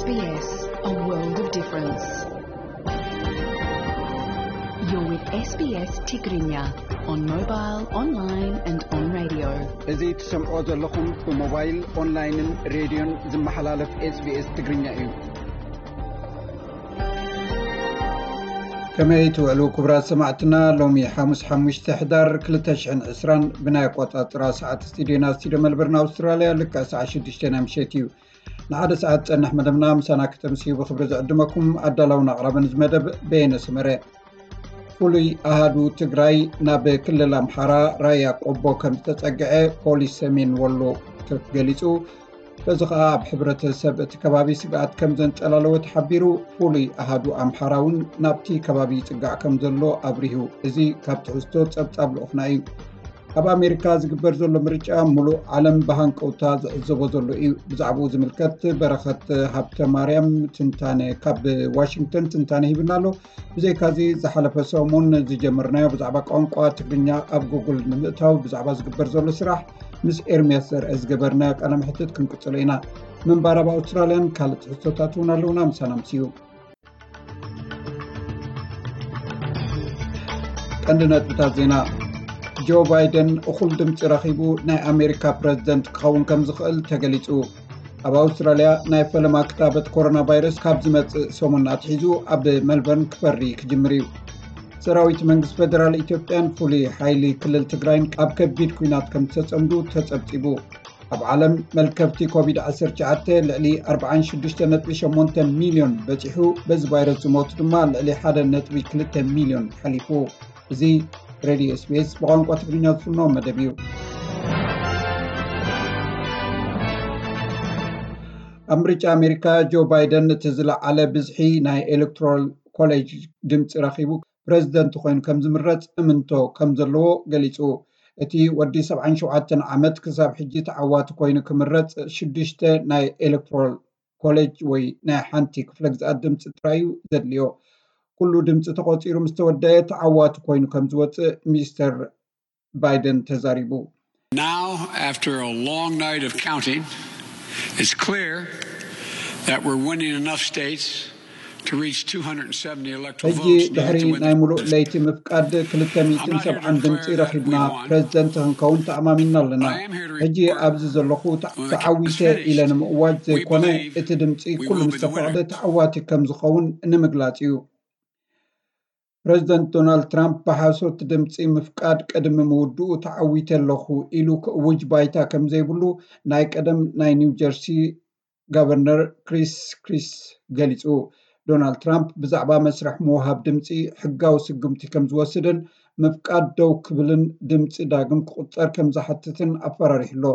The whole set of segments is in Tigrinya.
S B S, a world of difference. You're with S B S Tigrinya on mobile, online and on radio. እዚ ትሰምዖ ዘለኹም ብሞባይል፣ ኦንላይንን ሬድዮን ዝመሓላለፍ S B S ትግርኛ እዩ። ከመይ ትውዕሉ ክቡራት ሰማዕትና? ሎሚ ሓሙስ ሓሙሽተ ሕዳር ክልተ ሽሕን ዕስራን ብናይ ኣቆጻጽራ ሰዓት ስቱዲዮና፣ ስቱዲዮ መልበርን ኣውስትራልያ፣ ልክዕ ሰዓት ሽዱሽተ ናይ ምሸት እዩ። ንሓደ ሰዓት ጸንሕ መደብና ምሳና ክተምስዩ ብኽብሪ ዝዕድመኩም ኣዳላውን ኣቕራብን እዚ መደብ በየነ ሰመረ። ፍሉይ ኣሃዱ ትግራይ ናብ ክልል ኣምሓራ ራያ ቆቦ ከም ዝተጸግዐ ፖሊስ ሰሜን ወሎ ገሊጹ። በዚ ኸኣ ኣብ ሕብረተሰብ እቲ ከባቢ ስግኣት ከም ዘንጸላለወ ተሓቢሩ። ፍሉይ ኣሃዱ ኣምሓራ እውን ናብቲ ከባቢ ይጽጋዕ ከም ዘሎ ኣብሪሁ። እዚ ካብ ትሕዝቶ ጸብጻብ ልኡኽና እዩ። ኣብ ኣሜሪካ ዝግበር ዘሎ ምርጫ ምሉእ ዓለም ብሃንቀውታ ዝዕዘቦ ዘሎ እዩ። ብዛዕባኡ ዝምልከት በረኸት ሃብተ ማርያም ትንታነ ካብ ዋሽንግተን ትንታነ ሂብና ኣሎ። ብዘይካዚ ዝሓለፈ ሰሙን ዝጀመርናዮ ብዛዕባ ቋንቋ ትግርኛ ኣብ ጉግል ንምእታው ብዛዕባ ዝግበር ዘሎ ስራሕ ምስ ኤርምያስ ዘርአ ዝገበርናዮ ቃለ መሕትት ክንቅጽሎ ኢና። ምንባር ኣብ ኣውስትራልያን ካልእ ትሕዝቶታት እውን ኣለውና። ምሳና ምስዩ። ቀንዲ ነጥብታት ዜና። ጆ ባይደን እኹል ድምፂ ረኺቡ ናይ ኣሜሪካ ፕረዚደንት ክኸውን ከም ዝኽእል ተገሊጹ። ኣብ ኣውስትራልያ ናይ ፈለማ ክታበት ኮሮና ቫይረስ ካብ ዝመጽእ ሰሙን ኣትሒዙ ኣብ መልበርን ክፈሪ ክጅምር እዩ። ሰራዊት መንግስቲ ፌደራል ኢትዮጵያን ፍሉይ ሓይሊ ክልል ትግራይን ኣብ ከቢድ ኲናት ከም ዝተጸምዱ ተጸብጺቡ። ኣብ ዓለም መልከፍቲ ኮቪድ ዓሰርተ ትሽዓተ ልዕሊ ኣርባዓን ሽዱሽተ ነጥቢ ሸሞንተ ሚልዮን በጺሑ፣ በዚ ቫይረስ ዝሞቱ ድማ ልዕሊ ሓደ ነጥቢ ክልተ ሚልዮን ሓሊፉ። እዚ ሬድዮ S B S ብቋንቋ ትግርኛ ዝፍኖ መደብ እዩ። ኣብ ምርጫ ኣሜሪካ ጆ ባይደን እቲ ዝለዓለ ብዝሒ ናይ ኤሌክቶራል ኮሌጅ ድምፂ ረኺቡ ፕረዚደንት ኮይኑ ከም ዝምረፅ እምንቶ ከም ዘለዎ ገሊፁ። እቲ ወዲ ሰብዓን ሸውዓተን ዓመት ክሳብ ሕጂ ተዓዋቲ ኮይኑ ክምረፅ ሽዱሽተ ናይ ኤሌክቶራል ኮሌጅ ወይ ናይ ሓንቲ ክፍለ ግዝኣት ድምፂ ጥራይ እዩ ዘድልዮ። ኩሉ ድምፂ ተቖፂሩ ምስ ተወደአ ተዓዋቲ ኮይኑ ከም ዝወፅእ ሚስተር ባይደን ተዛሪቡ። Now, after a long night of counting, it's clear that we're winning enough states to reach two hundred seventy electoral ሕጂ votes needed ድሕሪ to win ናይ the ሙሉእ president. ለይቲ ምፍቃድ ክልተ ሚእትን ሰብዓን ድምፂ ረኺብና ፕረዚደንት ክንከውን ተኣማሚንና ኣለና። ሕጂ ኣብዚ ዘለኹ ተዓዊተ ኢለ ንምእዋጅ ዘይኮነ፣ እቲ ድምፂ ኩሉ ምስ ተፈቕደ ተዓዋቲ ከም ዝኸውን ንምግላፅ እዩ። ፕረዚደንት ዶናልድ ትራምፕ ብሓሶት ድምፂ ምፍቃድ ቅድሚ ምውድኡ ተዓዊተ ኣለኹ ኢሉ ክእውጅ ባይታ ከም ዘይብሉ ናይ ቀደም ናይ ኒው ጀርሲ ጋቨርነር ክሪስ ክሪስ ገሊፁ። ዶናልድ ትራምፕ ብዛዕባ መስርሕ ምውሃብ ድምፂ ሕጋዊ ስጉምቲ ከም ዝወስድን ምፍቃድ ደው ክብልን ድምፂ ዳግም ክቁፀር ከም ዝሓትትን ኣፈራሪሑ ኣሎ።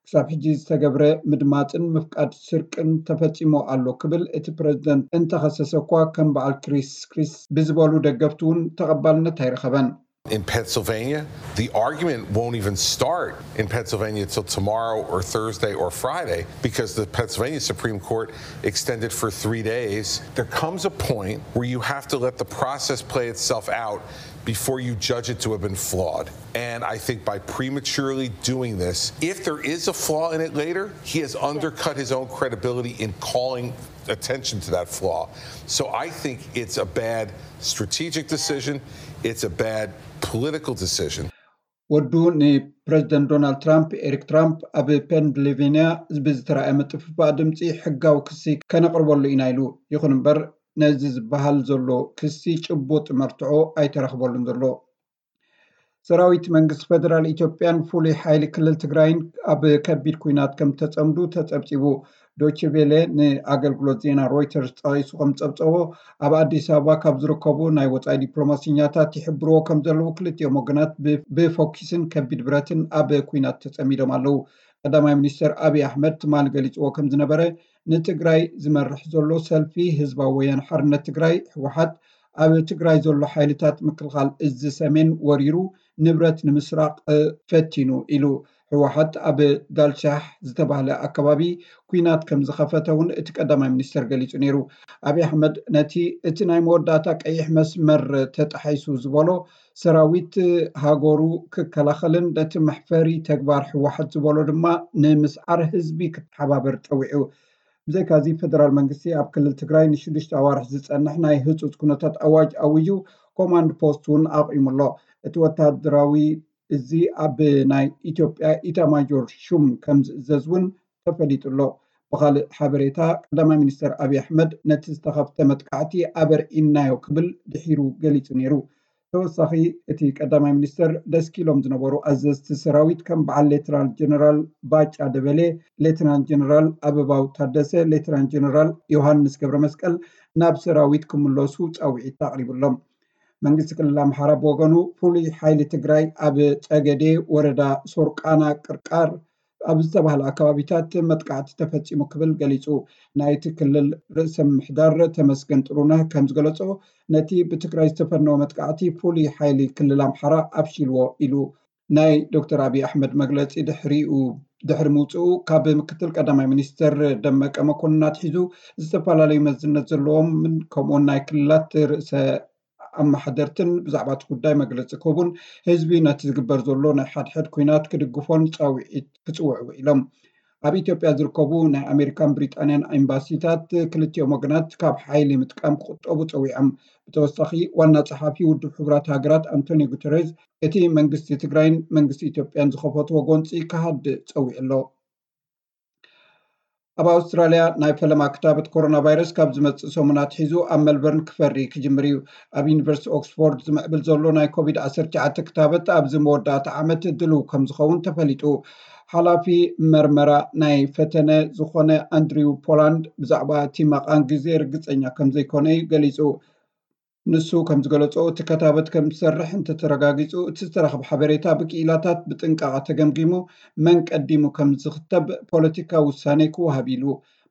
ክሳብ ሕጂ ዝተገብረ ምድማፅን ምፍቃድ ስርቅን ተፈፂሙ ኣሎ ክብል እቲ ፕረዚደንት እንተኸሰሰ እኳ፣ ከም በዓል ክሪስ ክሪስ ብዝበሉ ደገፍቲ እውን ተቐባልነት ኣይረኸበን። In Pennsylvania, the argument won't even start in Pennsylvania till tomorrow or Thursday or Friday because the Pennsylvania Supreme Court extended for three days. There comes a point where you have to let the process play itself out before you judge it to have been flawed. And I think by prematurely doing this, if there is a flaw in it later, he has undercut his own credibility in calling attention to that flaw. So I think it's a bad strategic decision. It's a bad political decision. ወዱ ንፕረዚደንት ዶናልድ ትራምፕ ኤሪክ ትራምፕ ኣብ ፔንስልቬንያ ብዝተራእየ ምጥፍፋእ ድምፂ ሕጋዊ ክሲ ከነቕርበሉ ኢና ኢሉ። ይኹን እምበር ነዚ ዝበሃል ዘሎ ክሲ ጭቡጥ መርትዖ ኣይተረኽበሉን ዘሎ። ሰራዊት መንግስቲ ፌደራል ኢትዮጵያን ፍሉይ ሓይሊ ክልል ትግራይን ኣብ ከቢድ ኲናት ከም ተጸምዱ ተጸብጺቡ። ዶቼ ቬለ ንኣገልግሎት ዜና ሮይተርስ ጠቒሱ ከም ጸብጸቦ፣ ኣብ ኣዲስ ኣበባ ካብ ዝርከቡ ናይ ወጻኢ ዲፕሎማሲኛታት ይሕብርዎ ከም ዘለዉ ክልቲኦም ወገናት ብፎኪስን ከቢድ ብረትን ኣብ ኲናት ተጸሚዶም ኣለዉ። ቀዳማይ ሚኒስተር ኣብይ ኣሕመድ ትማሊ ገሊጽዎ ከም ዝነበረ፣ ንትግራይ ዝመርሕ ዘሎ ሰልፊ ህዝባዊ ወያነ ሓርነት ትግራይ ህወሓት ኣብ ትግራይ ዘሎ ሓይልታት ምክልኻል እዚ ሰሜን ወሪሩ ንብረት ንምስራቕ ፈቲኑ ኢሉ። ህወሓት ኣብ ዳልሻሕ ዝተባህለ ኣከባቢ ኲናት ከም ዝኸፈተ እውን እቲ ቀዳማይ ሚኒስተር ገሊጹ ነይሩ። ኣብይ ኣሕመድ ነቲ እቲ ናይ መወዳእታ ቀይሕ መስመር ተጣሒሱ ዝበሎ ሰራዊት ሃገሩ ክከላኸልን ነቲ መሕፈሪ ተግባር ህወሓት ዝበሎ ድማ ንምስዓር ህዝቢ ክተሓባበር ጸዊዑ። ብዘይካዚ፣ ፌደራል መንግስቲ ኣብ ክልል ትግራይ ንሽዱሽተ ኣዋርሕ ዝጸንሕ ናይ ህጹጽ ኩነታት ኣዋጅ ኣዊጁ፣ ኮማንድ ፖስት እውን ኣቑሙ ኣሎ። እቲ ወታደራዊ እዚ ኣብ ናይ ኢትዮጵያ ኢታማጆር ሹም ከም ዝእዘዝ እውን ተፈሊጡ ኣሎ። ብኻልእ ሓበሬታ፣ ቀዳማይ ሚኒስተር ኣብይ ኣሕመድ ነቲ ዝተኸፍተ መጥቃዕቲ ኣበርዒናዮ ክብል ድሒሩ ገሊጹ ነይሩ። ተወሳኺ፣ እቲ ቀዳማይ ሚኒስተር ደስኪሎም ዝነበሩ ኣዘዝቲ ሰራዊት ከም በዓል ሌተናል ጀነራል ባጫ ደበሌ፣ ሌተናል ጀነራል ኣበባው ታደሰ፣ ሌተናል ጀነራል ዮሃንስ ገብረመስቀል ናብ ሰራዊት ክምለሱ ጻውዒት ኣቕሪቡሎም። መንግስቲ ክልል ኣምሓራ ብወገኑ፣ ፍሉይ ሓይሊ ትግራይ ኣብ ጸገዴ ወረዳ ሶርቃና ቅርቃር ኣብ ዝተባህለ ኣከባቢታት መጥቃዕቲ ተፈጺሙ ክብል ገሊጹ። ናይቲ ክልል ርእሰ ምምሕዳር ተመስገን ጥሩነህ ከም ዝገለጾ፣ ነቲ ብትግራይ ዝተፈነወ መጥቃዕቲ ፍሉይ ሓይሊ ክልል ኣምሓራ ኣፍሺልዎ ኢሉ። ናይ ዶክተር ኣብይ ኣሕመድ መግለጺ ድሕሪኡ ድሕሪ ምውፅኡ፣ ካብ ምክትል ቀዳማይ ሚኒስትር ደመቀ መኮንን ኣትሒዙ፣ ዝተፈላለዩ መዝነት ዘለዎም ከምኡውን ናይ ክልላት ርእሰ ኣመሓደርትን ብዛዕባ እቲ ጉዳይ መግለፂ ክህቡን ህዝቢ ነቲ ዝግበር ዘሎ ናይ ሓድሕድ ኩናት ክድግፎን ፃውዒት ክፅውዑ ውዒሎም። ኣብ ኢትዮጵያ ዝርከቡ ናይ ኣሜሪካን ብሪጣንያን ኤምባሲታት ክልቲኦም ወገናት ካብ ሓይሊ ምጥቃም ክቁጠቡ ፀዊዖም። ብተወሳኺ፣ ዋና ጸሓፊ ውድብ ሕቡራት ሃገራት ኣንቶኒዮ ጉተሬዝ፣ እቲ መንግስቲ ትግራይን መንግስቲ ኢትዮጵያን ዝኸፈትዎ ጎንፂ ክሃድእ ፀዊዑ ኣሎ። ኣብ ኣውስትራልያ፣ ናይ ፈለማ ክታበት ኮሮና ቫይረስ ካብ ዝመጽእ ሰሙን ኣትሒዙ ኣብ ሜልበርን ክፈሪ ክጅምር እዩ። ኣብ ዩኒቨርሲቲ ኦክስፎርድ ዝምዕብል ዘሎ ናይ ኮቪድ ዓሰርተ ትሽዓተ ክታበት ኣብዚ መወዳእታ ዓመት ድልው ከም ዝኸውን ተፈሊጡ። ሓላፊ መርመራ ናይ ፈተነ ዝኾነ ኣንድሪው ፖላንድ ብዛዕባ እቲ መቓን ግዜ ርግጸኛ ከም ዘይኮነ እዩ ገሊጹ። ንሱ ከም ዝገለጾ፣ እቲ ክታበት ከም ዝሰርሕ እንተተረጋጊጹ፣ እቲ ዝተረኽበ ሓበሬታ ብክኢላታት ብጥንቃቐ ተገምጊሙ፣ መን ቀዲሙ ከም ዝኽተብ ፖለቲካዊ ውሳኔ ክወሃብ ኢሉ።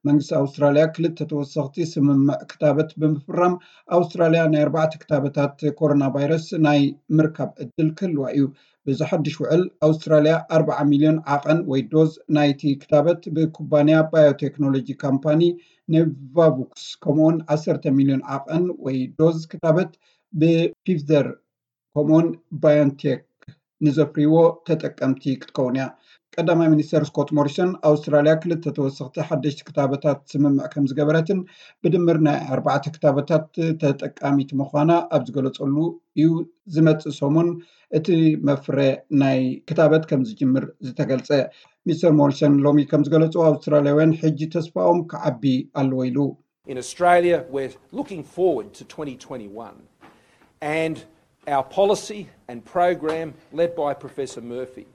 መንግስቲ ኣውስትራልያ ክልተ ተወሰኽቲ ስምምዕ ክታበት ብምፍራም፣ ኣውስትራልያ ናይ ኣርባዕተ ክታበታት ኮሮና ቫይረስ ናይ ምርካብ ዕድል ክህልዋ እዩ። በዚ ሓድሽ ውዕል፣ ኣውስትራልያ ኣርብዓ ሚልዮን ዓቐን ወይ ዶዝ ናይቲ ክታበት ብኩባንያ ባዮቴክኖሎጂ ካምፓኒ ኖቫቫክስ፣ ከምኡውን ዓሰርተ ሚልዮን ዓቐን ወይ ዶዝ ክታበት ብፊፍዘር ከምኡውን ባዮንቴክ ንዘፍርይዎ ተጠቀምቲ ክትከውን እያ። ቀዳማይ ሚኒስተር ስኮት ሞሪሰን፣ ኣውስትራልያ ክልተ ተወሰኽቲ ሓደሽቲ ክታበታት ስምምዕ ከም ዝገበረትን ብድምር ናይ ኣርባዕተ ክታበታት ተጠቃሚት ምዃና ኣብ ዝገለጸሉ እዩ። ዝመጽእ ሰሙን እቲ መፍረ ናይ ክታበት ከም ዝጅምር ዝተገልጸ። ሚስተር ሞሪሰን ሎሚ ከም ዝገለጹ፣ ኣውስትራልያውያን ሕጂ ተስፋኦም ክዓቢ ኣለዎ ኢሉ። In Australia, we're looking forward to twenty twenty-one and our policy and program led by Professor Murphy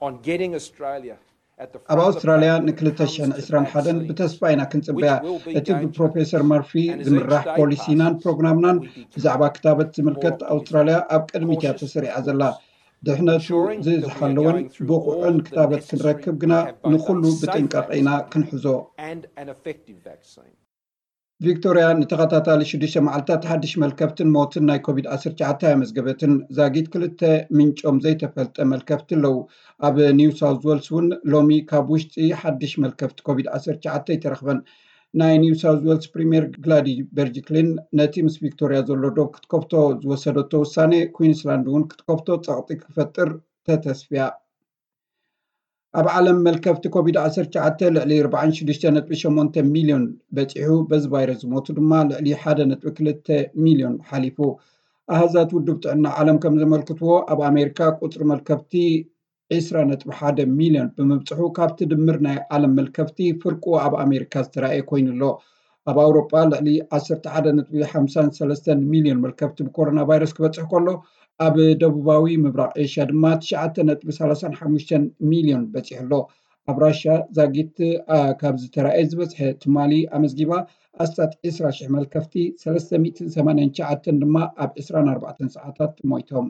on getting Australia at the ኣብ front of the ኣውስትራልያ pack when it ንክልተ ሽሕን comes to ዕስራን ሓደን vaccines, ብተስፋ ኢና ክንጽበያ። which will be እቲ game ብፕሮፌሰር changers. መርፊ And as each ዝምራሕ day ፖሊሲናን passes, ፕሮግራምናን we become ብዛዕባ ክታበት ዝምልከት more ኣውስትራልያ ኣብ ቅድሚት እያ cautious ተሰሪዓ and ዘላ። cautious, ድሕነቱ ensuring that we are ዝዝሓለወን going through all ብቑዕን the ክታበት necessary, ክንረክብ we ግና have both ንኹሉ a safe ብጥንቃቄ ኢና vaccine ክንሕዞ። and an effective vaccine. ቪክቶርያ ንተኸታታሊ ሽዱሽተ መዓልታት ሓድሽ መልከፍትን ሞትን ናይ ኮቪድ ዓሰርተ ትሽዓተ ኣየመዝገበትን። ዛጊት ክልተ ምንጮም ዘይተፈልጠ መልከፍቲ ኣለዉ። ኣብ ኒው ሳውዝ ዌልስ እውን ሎሚ ካብ ውሽጢ ሓድሽ መልከፍቲ ኮቪድ ዓሰርተ ትሽዓተ ኣይተረኽበን። ናይ ኒው ሳውዝ ዌልስ ፕሪምየር ግላዲ በርጅክሊን ነቲ ምስ ቪክቶርያ ዘሎ ዶብ ክትከፍቶ ዝወሰደቶ ውሳኔ፣ ኩዊንስላንድ እውን ክትከፍቶ ጸቕጢ ክፈጥር ተተስፍያ። ኣብ ዓለም መልከፍቲ ኮቪድ ዓሰርተ ትሽዓተ ልዕሊ ኣርባዓን ሽዱሽተ ነጥቢ ሸሞንተ ሚልዮን በጺሑ፣ በዚ ቫይረስ ዝሞቱ ድማ ልዕሊ ሓደ ነጥቢ ክልተ ሚልዮን ሓሊፉ። ኣሃዛት ውድብ ጥዕና ዓለም ከም ዘመልክትዎ፣ ኣብ ኣሜሪካ ቁጽሪ መልከፍቲ ዕስራ ነጥቢ ሓደ ሚልዮን ብምብጽሑ፣ ካብቲ ድምር ናይ ዓለም መልከፍቲ ፍርቁ ኣብ ኣሜሪካ ዝተራእየ ኮይኑ ኣሎ። ኣብ ኣውሮጳ ልዕሊ ዓሰርተ ሓደ ነጥቢ ሓምሳን ሰለስተን ሚልዮን መልከፍቲ ብኮሮና ቫይረስ ክበጽሕ ከሎ፣ ኣብ ደቡባዊ ምብራቕ ኤሽያ ድማ ትሽዓተ ነጥቢ ሰላሳን ሓሙሽተን ሚልዮን በጺሑ ኣሎ። ኣብ ራሽያ ዛጊት፣ ኣ፣ ካብ ዝተራእየ ዝበዝሐ ትማሊ ኣመዝጊባ። ኣስታት ዕስራ ሽሕ መልከፍቲ፣ ሰለስተ ሚእትን ሰማንያን ትሽዓተን ድማ ኣብ ዕስራን ኣርባዕተን ሰዓታት ሞይቶም።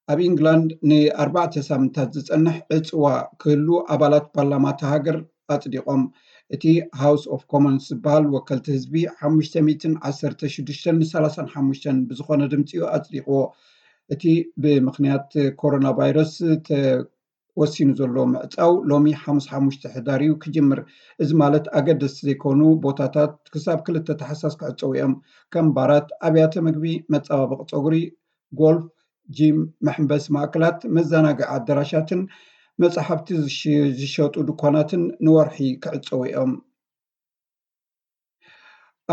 ኣብ ኢንግላንድ ንኣርባዕተ ሳምንታት ዝጸንሕ ዕጽዋ ክህሉ ኣባላት ፓርላማ እታ ሃገር ኣጽዲቖም። እቲ ሃውስ ኦፍ ኮመንስ ዝበሃል ወከልቲ ህዝቢ ሓሙሽተ ሚእትን ዓሰርተ ሽዱሽተን ንሰላሳን ሓሙሽተን ብዝኾነ ድምጺ እዩ ኣጽዲቕዎ። እቲ ብምኽንያት ኮሮና ቫይረስ ተወሲኑ ዘሎ ምዕጻው ሎሚ ሓሙስ ሓሙሽተ ሕዳር እዩ ክጅምር። እዚ ማለት ኣገደስቲ ዘይኮኑ ቦታታት ክሳብ ክልተ ታሕሳስ ክዕጸዉ እዮም። ከም ባራት፣ ኣብያተ ምግቢ፣ መጸባበቒ ጸጉሪ፣ ጎልፍ፣ ጂም፣ መሐንበሲ ማእከላት፣ መዘናግዒ ኣዳራሻትን መጻሕፍቲ ዝሽ-፣ ዝሸጡ ድኳናትን ንወርሒ ክዕጸዉ እዮም።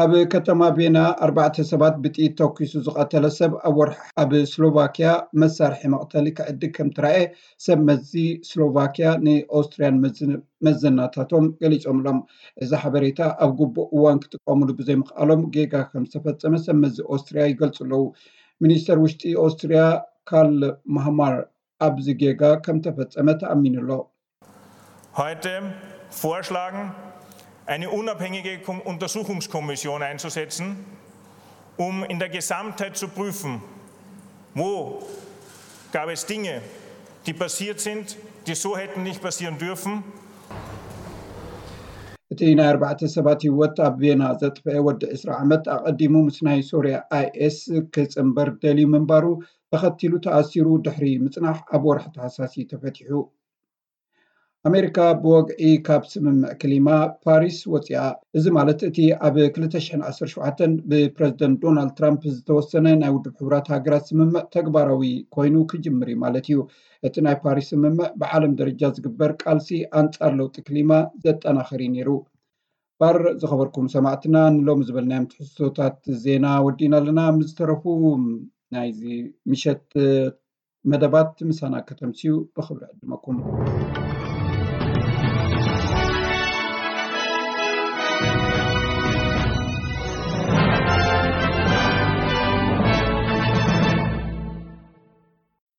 ኣብ ከተማ ቬና ኣርባዕተ ሰባት ብጥይት ተኩሱ ዝቐተለ ሰብ ኣብ ወርሒ ኣብ ስሎቫኪያ መሳርሒ መቕተሊ ክዕድግ ከም ትረኣየ ሰብ መዚ ስሎቫኪያ ንኦስትርያን መዘናታቶም ገሊጾምሎም። እዚ ሓበሬታ ኣብ ግቡእ እዋን ክጥቀሙሉ ብዘይምኽኣሎም ጌጋ ከም ዝተፈጸመ ሰብ መዚ ኦስትርያ ይገልጹ ኣለዉ። ሚኒስተር ውሽጢ ኦስትርያ ካርል ማህማር ኣብዚ ጌጋ ከም ተፈጸመ ተኣሚኑ ኣሎ። Heute vorschlagen, eine unabhängige Untersuchungskommission einzusetzen, um in der Gesamtheit zu prüfen, wo gab es Dinge, die passiert sind, die so hätten nicht passieren dürfen. እቲ ናይ ኣርባዕተ ሰባት ህይወት ኣብ ቬና ዘጥፈአ ወዲ ዕስራ ዓመት ኣቐዲሙ ምስ ናይ ሶርያ ኣይኤስ ክጽንበር ደልዩ ምንባሩ ተኸቲሉ ተኣሲሩ ድሕሪ ምጽናሕ ኣብ ወርሒ ታሕሳስ እዩ ተፈቲሑ። ኣሜሪካ ብወግዒ ካብ ስምምዕ ክሊማ ፓሪስ ወፂኣ። እዚ ማለት እቲ ኣብ ክልተ ሽሕን ዓሰርተ ሸውዓተን ብፕረዚደንት ዶናልድ ትራምፕ ዝተወሰነ ናይ ውድብ ሕቡራት ሃገራት ስምምዕ ተግባራዊ ኮይኑ ክጅምር እዩ ማለት እዩ። እቲ ናይ ፓሪስ ስምምዕ ብዓለም ደረጃ ዝግበር ቃልሲ ኣንፃር ለውጢ ክሊማ ዘጠናኽር እዩ ነይሩ። ባር ዝኸበርኩም ሰማዕትና ንሎሚ ዝበልናዮም ትሕዝቶታት ዜና ወዲእና ኣለና። ምስ ዝተረፉ ናይዚ ምሸት መደባት ምሳና ከተምስዩ ብኽብሪ ዕድመኩም።